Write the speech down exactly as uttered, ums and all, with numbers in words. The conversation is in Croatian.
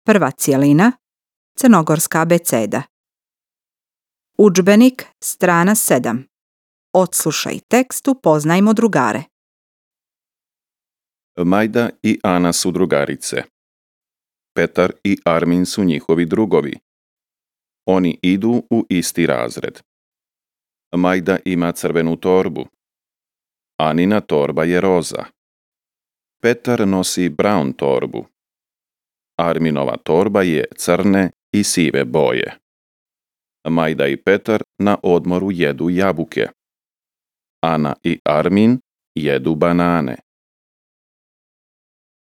Prva cjelina, crnogorska abeceda. Udžbenik, strana sedam. Odslušaj tekst, upoznajmo drugare. Majda i Ana su drugarice. Petar i Armin su njihovi drugovi. Oni idu u isti razred. Majda ima crvenu torbu. Anina torba je roza. Petar nosi brown torbu. Arminova torba je crne i sive boje. Majda i Petar na odmoru jedu jabuke. Ana i Armin jedu banane.